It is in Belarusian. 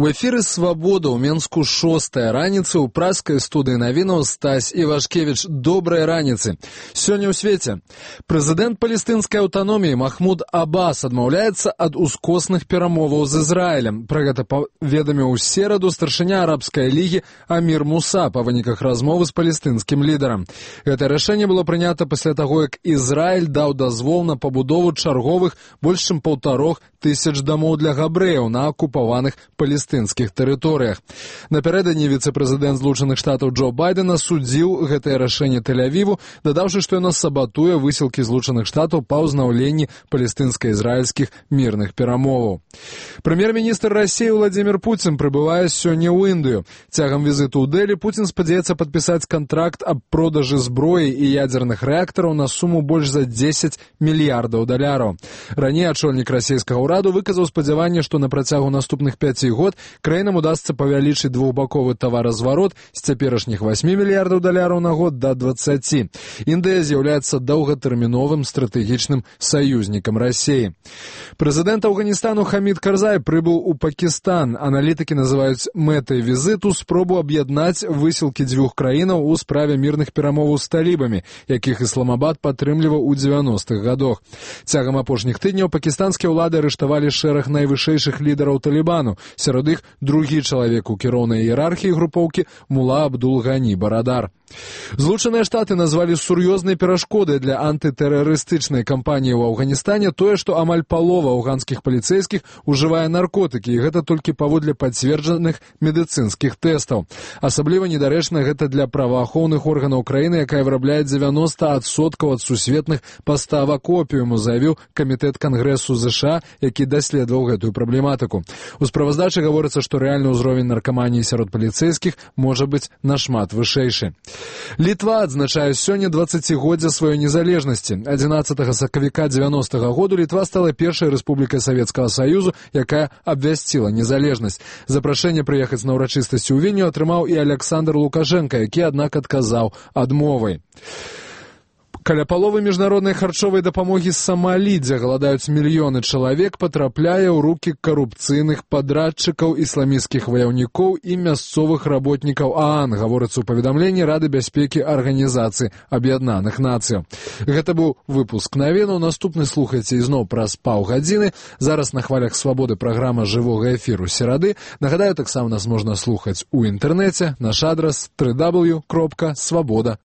У эфіры «Свабода» ў Менску 6-я раніцы, у праскай студыі навінаў Стась Івашкевіч. Добрай раніцы. Сёння ў свеце. Прэзідэнт палестынскай аўтаноміі Махмуд Аббас адмаўляецца ад ускосных перамоваў з Ізраілем. Пра гэта паведаміў у сераду старшыня арабскай лігі Амір Муса па выніках размовы з палестынскім лідарам. Гэта рашэнне было прынята пасля таго, як Ізраіль даў дазвол на пабудову чарговых больш чым 1500 дамоў для габрэяў на акупаваных палестынскіх тэрыторыях. Напярэдадні віцэ-прэзідэнт Злучаных Штатаў Джо Байден асудзіў гэтае рашэнне Тель-Авіву, дадаўшы, што яно сабатуе высілкі Злучаных Штатаў па ўзнаўленні палестынска-ізраільскіх мірных перамоваў. Прэм'ер-міністр Расіі Владзімір Пуцін прыбывае сёння ў Індыю. Цягам візіту ў Дэлі Пуцін спадзяецца падпісаць кантракт аб продажы зброі і ядзерных рэактараў на суму больш за $10 мільярдаў. Раней ачольнік расійскага ўраду выказаў спадзяванне, што на працягу наступных 5 год краінам удасца павялічыць двухбаковы таваразварот з цяперашніх $8 мільярдаў на год да 20. Індыя з'яўляецца доўгатэрміновым стратэгічным саюзнікам Расіі. Прэзідэнт Афганістану Хамід Карзай прыбыў у Пакістан. Аналітыкі называюць мэтай візіту спробу аб'яднаць высілкі дзвюх краінаў у справе мірных перамоваў з талібамі, якіх Ісламабад падтрымліваў у 90-х гадах. Цягам апошніх тыдняў пакістанскія ўлады арыштавалі шэраг найвышэйшых лідараў талібану. Сярод іх другі чалавек у кіроўнай іерархіі групоўкі Мула Абдул-Гані Барадар. Злучаныя Штаты назвалі сур'ёзнай перашкодай для антытэрарыстычнай кампаніі ў Афганістане тое, што амаль палова афганскіх паліцэйскіх ужывае наркотыкі, і гэта толькі паводле пацверджаных медыцынскіх тэстаў. Асабліва недарэчна гэта для праваахоўных органаў краіны, якая вырабляе 90% ад сусветных паставак опіуму, заявіў камітэт Кангрэсу ЗША, які даследаваў гэтую праблематыку. У справаздачы гаворыцца, што рэальны ўзровень наркаманіі сярод паліцэйскіх можа быць нашмат вышэйшы. Літва адзначае сёння 20-годдзе сваёй незалежнасці. 11 сакавіка 90-го году Літва стала першай рэспублікай Савецкага Саюзу, якая абвясціла незалежнасць. Запрашэнне прыехаць на ўрачыстасці ў Вільню атрымаў і Аляксандр Лукашенка, які, аднак, адказаў адмовай. Каля паловы міжнароднай харчовай дапамогі з Самалі, дзе галадаюць мільёны чалавек, патрапляе ў рукі карупцыйных падрадчыкаў, ісламісцкіх ваяўнікоў і мясцовых работнікаў ААН, гаворыцца ў паведамленні Рады бяспекі Арганізацыі Аб'яднаных Нацыяў. Гэта быў выпуск навінаў. Наступны слухайце ізноў праз паўгадзіны. Зараз на хвалях Свабоды праграма жывога эфіру серады. Нагадаю, таксама нас можна слухаць у інтэрнэце. Наш адрас www.swaboda.org.